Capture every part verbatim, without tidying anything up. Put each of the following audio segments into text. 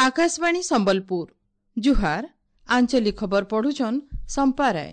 ଆକାଶବାଣୀ ସମ୍ବଲପୁର ଜୁହାର ଆଞ୍ଚଳିକ ଖବର ପଢୁଛନ୍ ସମ୍ପା ରାୟ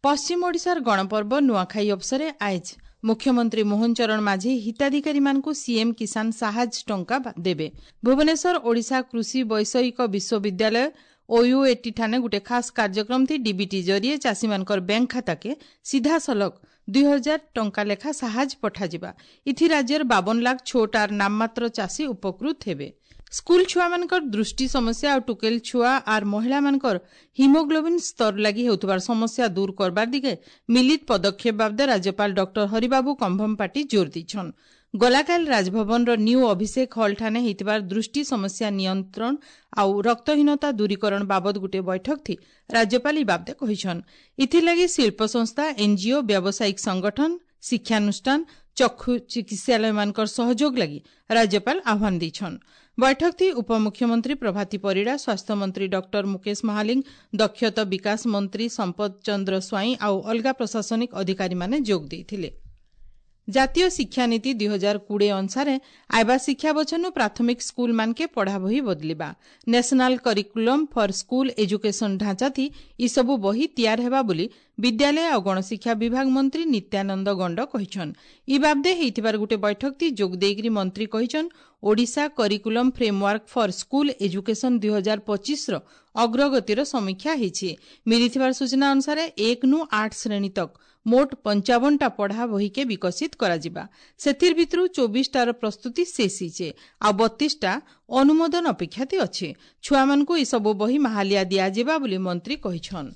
ପଶ୍ଚିମ ଓଡ଼ିଶାର ଗଣପର୍ବ ନୂଆଖାଇ ଅବସରେ ଆଏଜ୍ ମୁଖ୍ୟମନ୍ତ୍ରୀ ମୋହନ ଚରଣ ମାଝୀ ହିତାଧିକାରୀମାନଙ୍କୁ ସିଏମ୍ କିଷାନ ସାହାଯ୍ୟ ଟଙ୍କା ଦେବେ ଭୁବନେଶ୍ୱର ଓଡ଼ିଶା କୃଷି ବୈଷୟିକ ବିଶ୍ୱବିଦ୍ୟାଳୟ ଓୟୁଏଟି ଠାନେ ଗୋଟେ ଖାସ୍ କାର୍ଯ୍ୟକ୍ରମ ଥି ଡିବିଟି ଜରିଏ ଚାଷୀମାନଙ୍କର ବ୍ୟାଙ୍କ ଖାତାକେ ସିଧାସଳଖ ଦୁଇ ହଜାର ଟଙ୍କା ଲେଖା ସାହାଯ୍ୟ ପଠାଯିବା ଇଥି ରାଜ୍ୟର ବାବନ ଲାଖ ଛୋଟ ଆର୍ ନାମମାତ୍ର ଚାଷୀ ଉପକୃତ ହେବେ ସ୍କୁଲ ଛୁଆମାନଙ୍କର ଦୃଷ୍ଟି ସମସ୍ୟା ଆଉ ଟୁକେଲ ଛୁଆ ଆର୍ ମହିଳାମାନଙ୍କର ହିମୋଗ୍ଲୋବିନ୍ ସ୍ତର ଲାଗି ହେଉଥିବାର ସମସ୍ୟା ଦୂର କରବାର ଦିଗେ ମିଳିତ ପଦକ୍ଷେପ ବାବଦେ ରାଜ୍ୟପାଳ ଡକ୍ଟର ହରିବାବୁ କମ୍ଭମପାଟି ଜୋର ଦେଇଛନ୍ ଗଲାକାଲି ରାଜଭବନର ନ୍ୟୁ ଅଭିଷେକ ହଲ୍ ଠାନେ ହେଇଥିବାର ଦୃଷ୍ଟି ସମସ୍ୟା ନିୟନ୍ତ୍ରଣ ଆଉ ରକ୍ତହୀନତା ଦୂରୀକରଣ ବାବଦ ଗୋଟିଏ ବୈଠକ ଥି ରାଜ୍ୟପାଳ ଇ ବାବଦେ କହିଛନ୍ ଇଥିଲାଗି ଶିଳ୍ପ ସଂସ୍ଥା ଏନ୍ଜିଓ ବ୍ୟାବସାୟିକ ସଂଗଠନ ଶିକ୍ଷାନୁଷ୍ଠାନ ଚକ୍ଷୁ ଚିକିତ୍ସାଳୟମାନଙ୍କର ସହଯୋଗ ଲାଗି ରାଜ୍ୟପାଳ ଆହ୍ୱାନ ଦେଇଛନ୍ ବୈଠକ ଥି ଉପମୁଖ୍ୟମନ୍ତ୍ରୀ ପ୍ରଭାତୀ ପରିଡ଼ା ସ୍ୱାସ୍ଥ୍ୟମନ୍ତ୍ରୀ ଡକ୍ଟର ମୁକେଶ ମହାଲିଙ୍ଗ ଦକ୍ଷତା ବିକାଶ ମନ୍ତ୍ରୀ ସମ୍ପଦ ଚନ୍ଦ୍ର ସ୍ୱାଇଁ ଆଉ ଅଲଗା ପ୍ରଶାସନିକ ଅଧିକାରୀମାନେ ଯୋଗ ଦେଇଥିଲେ ଜାତୀୟ ଶିକ୍ଷାନୀତି ଦୁଇ ହଜାର କୋଡ଼ିଏ ଅନୁସାରେ ଆଇବା ଶିକ୍ଷା ବଛନୁ ପ୍ରାଥମିକ ସ୍କୁଲମାନକେ ପଢ଼ା ବହି ବଦଲିବା National Curriculum for School Education ଢାଞ୍ଚାଥି ଇସବୁ ବହି ତିଆର ହେବା ବୋଲି ବିଦ୍ୟାଳୟ ଆଉ ଗଣଶିକ୍ଷା ବିଭାଗ ମନ୍ତ୍ରୀ ନିତ୍ୟାନନ୍ଦ ଗଣ୍ଡ କହିଛନ୍ ଇ ବାବଦେ ହେଇଥିବାର ଗୋଟେ ବୈଠକ ଯୋଗ ଦେଇକରି ମନ୍ତ୍ରୀ କହିଛନ୍ Odisha Curriculum Framework for School Education ଦୁଇ ହଜାର ପଚିଶର ଅଗ୍ରଗତିର ସମୀକ୍ଷା ହେଇଛି ମିଳିଥିବାର ସୂଚନା ଅନୁସାରେ ଏକ ନୁ ଆଠ ଶ୍ରେଣୀ ତକ ମୋଟ ପଞ୍ଚାବନଟା ପଢ଼ା ବହିକେ ବିକଶିତ କରାଯିବା ସେଥିର ଭିତରୁ ଚବିଶଟାର ପ୍ରସ୍ତୁତି ଶେଷ ହେଇଛେ ଆଉ ବତିଶଟା ଅନୁମୋଦନ ଅପେକ୍ଷାତି ଅଛି ଛୁଆମାନଙ୍କୁ ଏସବୁ ବହି ମାହାଲିଆ ଦିଆଯିବା ବୋଲି ମନ୍ତ୍ରୀ କହିଛନ୍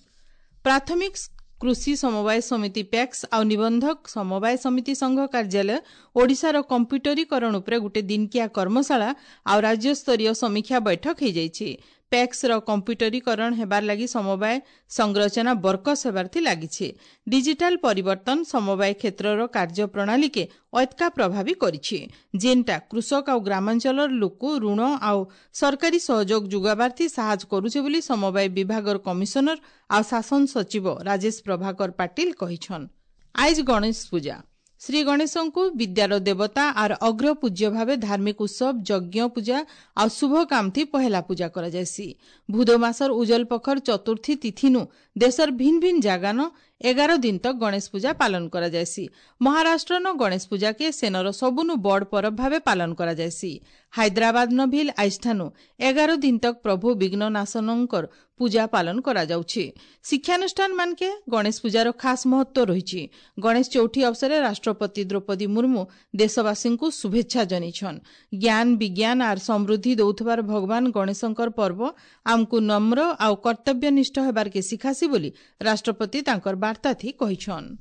ପ୍ରାଥମିକ କୃଷି ସମବାୟ ସମିତି ପ୍ୟାକ୍ସ ଆଉ ନିବନ୍ଧକ ସମବାୟ ସମିତି ସଂଘ କାର୍ଯ୍ୟାଳୟ ଓଡ଼ିଶାର କମ୍ପ୍ୟୁଟରୀକରଣ ଉପରେ ଗୋଟେ ଦିନକିଆ କର୍ମଶାଳା ଆଉ ରାଜ୍ୟସ୍ତରୀୟ ସମୀକ୍ଷା ବୈଠକ ହେଇଯାଇଛି ପ୍ୟାକ୍ସର କମ୍ପ୍ୟୁଟରୀକରଣ ହେବାର ଲାଗି ସମବାୟ ସଂରଚନା ବରକସ ହେବାର ଥି ଲାଗିଛି ଡିଜିଟାଲ ପରିବର୍ତ୍ତନ ସମବାୟ କ୍ଷେତ୍ରର କାର୍ଯ୍ୟପ୍ରଣାଳୀକେ ଅତ୍କା ପ୍ରଭାବୀ କରିଛି ଯେନ୍ଟା କୃଷକ ଆଉ ଗ୍ରାମାଞ୍ଚଳର ଲୋକ ଋଣ ଆଉ ସରକାରୀ ସହଯୋଗ ଯୋଗାବାର ଥି ସାହାଯ୍ୟ କରୁଛେ ବୋଲି ସମବାୟ ବିଭାଗର କମିଶନର ଆଉ ଶାସନ ସଚିବ ରାଜେଶ ପ୍ରଭାକର ପାଟିଲ କହିଛନ୍ ଆଇଜ ଗଣେଶ ପୂଜା ଶ୍ରୀ ଗଣେଶଙ୍କୁ ବିଦ୍ୟାର ଦେବତା ଆର୍ ଅଗ୍ରପୂଜ୍ୟ ଭାବେ ଧାର୍ମିକ ଉତ୍ସବ ଯଜ୍ଞ ପୂଜା ଆଉ ଶୁଭ କାମଥି ପହେଲା ପୂଜା କରାଯାଏସି ଭୁଦ ମାସର ଉଜଲ ପଖର ଚତୁର୍ଥୀ ତିଥିନୁ ଦେଶର ଭିନ୍ନ ଭିନ୍ନ ଜାଗାନ ଏଗାର ଦିନ ତକ ଗଣେଶ ପୂଜା ପାଳନ କରାଯାଏସି ମହାରାଷ୍ଟ୍ରନ ଗଣେଶ ପୂଜାକେ ସେନର ସବୁନୁ ବଡ଼ ପରବ ଭାବେ ପାଳନ କରାଯାଏସି ହାଇଦ୍ରାବାଦନ ଭିଲ୍ ଆଇଷ୍ଠାନୁ ଏଗାର ଦିନ ତକ ପ୍ରଭୁ ବିଘ୍ନନାଶନଙ୍କର ପୂଜା ପାଳନ କରାଯାଉଛି ଶିକ୍ଷାନୁଷ୍ଠାନ ମାନକେ ଗଣେଶ ପୂଜାର ଖାସ୍ ମହତ୍ୱ ରହିଛି ଗଣେଶ ଚୌଥୀ ଅବସରରେ ରାଷ୍ଟ୍ରପତି ଦ୍ରୌପଦୀ ମୁର୍ମୁ ଦେଶବାସୀଙ୍କୁ ଶୁଭେଚ୍ଛା ଜଣାଇଛନ୍ ଜ୍ଞାନ ବିଜ୍ଞାନ ଆର୍ ସମୃଦ୍ଧି ଦଉଥିବାର ଭଗବାନ ଗଣେଶଙ୍କର ପର୍ବ ଆମକୁ ନମ୍ର ଆଉ କର୍ତ୍ତବ୍ୟନିଷ୍ଠ ହେବାରକେ ଶିଖାସି ବୋଲି ରାଷ୍ଟ୍ରପତି ତାଙ୍କର ବାର୍ତ୍ତାଥି କହିଛନ୍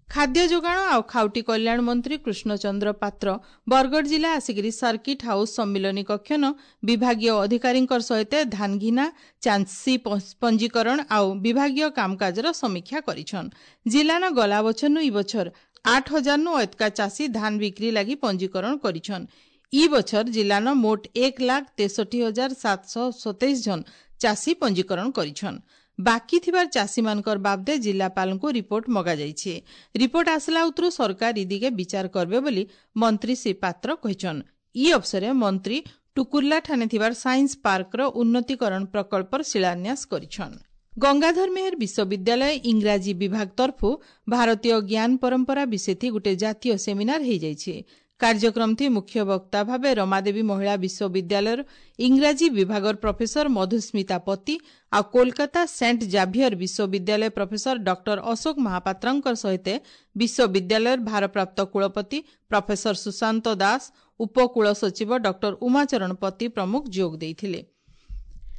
ଖାଦ୍ୟ ଯୋଗାଣ ଆଉ ଖାଉଟି କଲ୍ୟାଣ ମନ୍ତ୍ରୀ କୃଷ୍ଣଚନ୍ଦ୍ର ପାତ୍ର ବରଗଡ଼ ଜିଲ୍ଲା ଆସିକରି ସର୍କିଟ୍ ହାଉସ୍ ସମ୍ମିଳନୀ କକ୍ଷନ ବିଭାଗୀୟ ଅଧିକାରୀଙ୍କ ସହିତ ଧାନଘିନା ଚାଷୀ ପଞ୍ଜୀକରଣ ଆଉ ବିଭାଗୀୟ କାମକାଜର ସମୀକ୍ଷା କରିଛନ୍ ଜିଲ୍ଲାନ ଗଲା ବଛରନୁ ଇ ବଛର ଆଠ ହଜାରନୁ ଅତକା ଚାଷୀ ଧାନ ବିକ୍ରି ଲାଗି ପଞ୍ଜୀକରଣ କରିଛନ୍ ଇ ବଛର ଜିଲ୍ଲାନ ମୋଟ ଏକ ଲାଖ ତେଷଠି ହଜାର ସାତଶହ ସତେଇଶ ଜଣ ଚାଷୀ ପଞ୍ଜୀକରଣ କରିଛନ୍ ବାକି ଥିବାର ଚାଷୀମାନଙ୍କର ବାବଦେ ଜିଲ୍ଲାପାଳଙ୍କୁ ରିପୋର୍ଟ ମଗାଯାଇଛି ରିପୋର୍ଟ ଆସିଲା ଉତରୁ ସରକାର ଇ ଦିଗେ ବିଚାର କରିବେ ବୋଲି ମନ୍ତ୍ରୀ ଶ୍ରୀ ପାତ୍ର କହିଛନ୍ ଇ ଅବସରେ ମନ୍ତ୍ରୀ ଟୁକୁର୍ଲା ଠାନେ ଥିବାର ସାଇନ୍ସ ପାର୍କର ଉନ୍ନତିକରଣ ପ୍ରକଳ୍ପର ଶିଳାନ୍ୟାସ କରିଛନ୍ ଗଙ୍ଗାଧର ମେହେର ବିଶ୍ୱବିଦ୍ୟାଳୟ ଇଂରାଜୀ ବିଭାଗ ତରଫୁ ଭାରତୀୟ ଜ୍ଞାନ ପରମ୍ପରା ବିଷୟଥି ଗୋଟେ ଜାତୀୟ ସେମିନାର ହେଇଯାଇଛି କାର୍ଯ୍ୟକ୍ରମଥି ମୁଖ୍ୟ ବକ୍ତା ଭାବେ ରମାଦେବୀ ମହିଳା ବିଶ୍ୱବିଦ୍ୟାଳୟର ଇଂରାଜୀ ବିଭାଗର ପ୍ରଫେସର ମଧୁସ୍ମିତା ପତି ଆଉ କୋଲକାତା ସେଣ୍ଟ ଜାଭିୟର ବିଶ୍ୱବିଦ୍ୟାଳୟ ପ୍ରଫେସର ଡକ୍ଟର ଅଶୋକ ମହାପାତ୍ରଙ୍କ ସହିତ ବିଶ୍ୱବିଦ୍ୟାଳୟର ଭାରପ୍ରାପ୍ତ କୁଳପତି ପ୍ରଫେସର ସୁଶାନ୍ତ ଦାସ ଉପକୁଳ ସଚିବ ଡକ୍ଟର ଉମାଚରଣ ପତି ପ୍ରମୁଖ ଯୋଗ ଦେଇଥିଲେ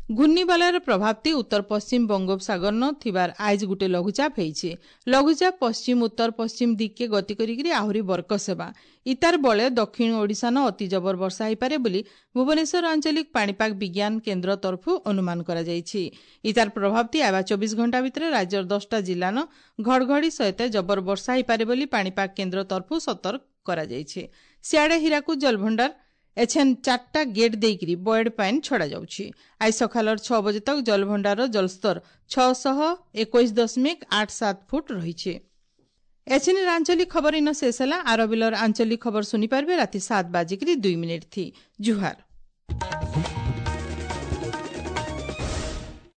ଘୂର୍ଣ୍ଣିବଳୟର ପ୍ରଭାବତି ଉତ୍ତର ପଶ୍ଚିମ ବଙ୍ଗୋପସାଗରନ ଥିବାର ଆଇଜ ଗୋଟେ ଲଘୁଚାପ ହେଇଛି ଲଘୁଚାପ ପଶ୍ଚିମ ଉତ୍ତର ପଶ୍ଚିମ ଦିଗକେ ଗତି କରିକିରି ଆହୁରି ବରକସ ହେବା ଇତାର ବଳେ ଦକ୍ଷିଣ ଓଡ଼ିଶାନ ଅତି ଜବର ବର୍ଷା ହେଇପାରେ ବୋଲି ଭୁବନେଶ୍ୱର ଆଞ୍ଚଳିକ ପାଣିପାଗ ବିଜ୍ଞାନ କେନ୍ଦ୍ର ତରଫରୁ ଅନୁମାନ କରାଯାଇଛି ଇତାର ପ୍ରଭାବତି ଆଇବା ଚବିଶ ଘଣ୍ଟା ଭିତରେ ରାଜ୍ୟର ଦଶଟା ଜିଲ୍ଲାନ ଘଡ଼ଘଡ଼ି ସହିତ ଜବର ବର୍ଷା ହେଇପାରେ ବୋଲି ପାଣିପାଗ କେନ୍ଦ୍ର ତରଫରୁ ସତର୍କ କରାଯାଇଛି ସିଆଡ଼େ ହୀରାକୁଦ ଜଳଭଣ୍ଡାର ଏଛେନ୍ ଚାରିଟା ଗେଟ୍ ଦେଇକରି ବଏଡ୍ ପାଇନ୍ ଛଡ଼ାଯାଉଛି ଆଜି ସକାଳର ଛଅ ବଜେ ତକ ଜଳଭଣ୍ଡାରର ଜଳସ୍ତର ଛଅଶହ ଏକୋଇଶ ଦଶମିକ ଆଠ ସାତ ଫୁଟ ରହିଛି ଏଛିନିର ଆଞ୍ଚଳିକ ଖବର ଇନ ଶେଷ ହେଲା ଆରବିଲର ଆଞ୍ଚଳିକ ଖବର ଶୁଣିପାରିବେ ରାତି ସାତ ବାଜିକିରି ଦୁଇ ମିନିଟ୍ ଥି ଜୁହାର